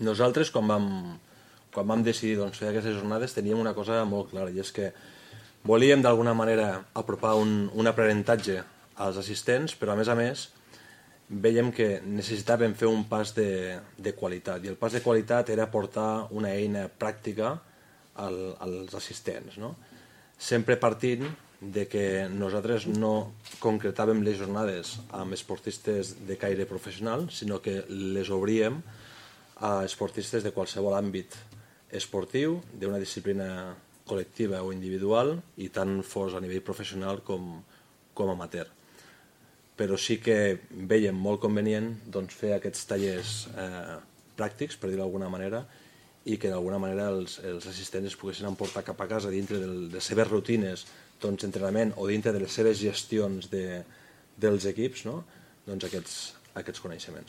Nosaltres, quan vam decidir fer aquestes jornades, teníem una cosa molt clara, i és que volíem d'alguna manera apropar un aprenentatge als assistents, però a més veiem que necessitàvem fer un pas de qualitat, i el pas de qualitat era portar una eina pràctica als assistents, no? Sempre partint de que nosaltres no concretàvem les jornades amb esportistes de caire professional, sinó que les obríem a esportistes de qualsevol àmbit esportiu, d'una disciplina col·lectiva o individual, i tant fos a nivell professional com amateur. Però sí que veiem molt convenient fer aquests tallers pràctics, per dir-ho d'alguna manera, i que d'alguna manera els assistents es poguessin emportar cap a casa dintre de les seves rutines d'entrenament o dintre de les seves gestions dels equips, aquests coneixements.